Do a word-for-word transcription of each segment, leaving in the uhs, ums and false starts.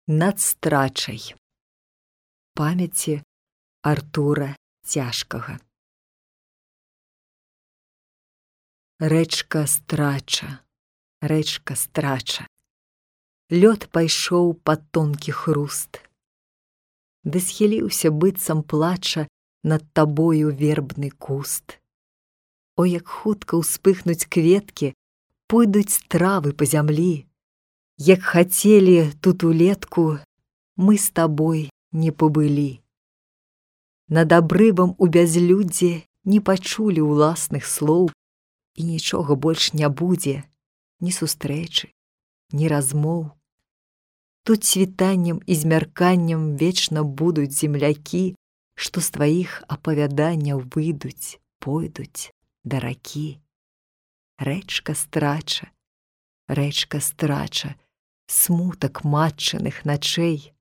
над страчай. Памяці Артура Цяжкага. Рэчка страча, рэчка страча, лёд пайшоў пад тонкі хруст, ды схіліўся быццам плача над табою вербны куст. О, як хутка ўспыхнуць кветкі, пойдуць травы па зямлі, як хацелі тут улетку, мы з табой не пабылі. Над абрывам у бязлюддзе не пачулі ўласных слоў, і нічога больш не будзе, ні сустрэчы, ні размоў. Тут світаннем і змярканнем вечна будуць землякі, што з тваіх апавяданняў выйдуць, пойдуць да ракі. Рэчка страча, рэчка страча, смутак матчыных начэй.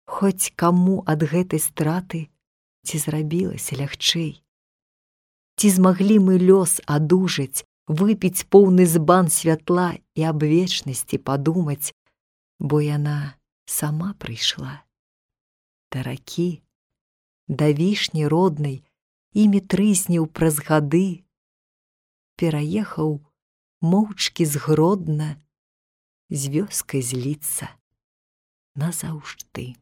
Хоць каму ад гэтай страты ці зрабілася лягчэй? Ці змаглі мы лёс адужаць, выпіць поўны збан святла і аб вечнасці падумаць, бо яна сама прыйшла да ракі, да вішні роднай, імі трызніў праз гады, пераехаў моўчкі згродна з вёскай зліцца назаўжды.